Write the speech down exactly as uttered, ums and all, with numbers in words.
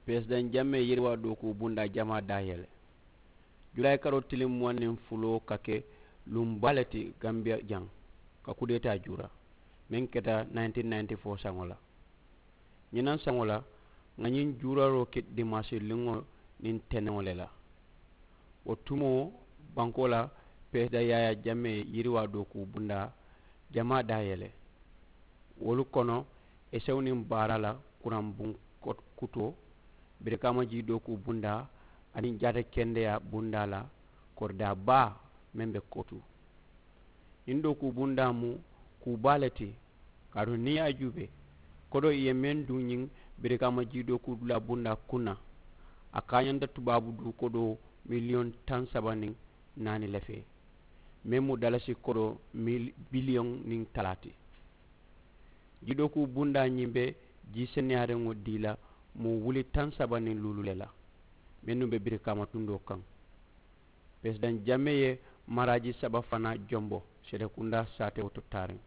Peresidaŋ jamee yiriwaa dookuu bundaa jamaa daa yele. Julaayi karoo tiliŋ muwaŋ niŋ fuloo ka ke luŋ baa le ti gambiya jaŋ ka kudeetaa juura meŋ keta nineteen ninety-four saŋo la. Ñinaŋ saŋo la ŋà ñiŋ juuraroo ke dimaasi liŋo niŋ teneŋo le la. Wo tumoo bankoo la peresidaŋ yaayaa jamee yiriwaa dookuu bundaa jamaa daa yele. Wolu kono esew niŋ baara la kuraŋ buŋ kutoo, birikaama jii dookuu bundaa aniŋ jaata kendeyaa bundaa la koridaa baa meŋ be kotu. Ñiŋ dookuu bundaa mu kuu baa le ti. Kaatu niŋ i ye a juubee kodoo i ye meŋ duŋ ñiŋ birikaama jii dookuu dulaa bundaa kuŋ na, a kaañanta tubaabu duu kodoo miliyoŋ taŋ saba niŋ naani le fee, meŋ mu dalasi kodoo biliyoŋ niŋ talaa ti. Jii dookuu bundaa ñiŋ be jii seneyaariŋo dii la moo wuli taŋ saba niŋ luulu le la mennu be birikaama tundoo kaŋ. Peresidaŋ jamee ye maraaji saba fanaa jombo seedekundaa saatewo to taariŋ.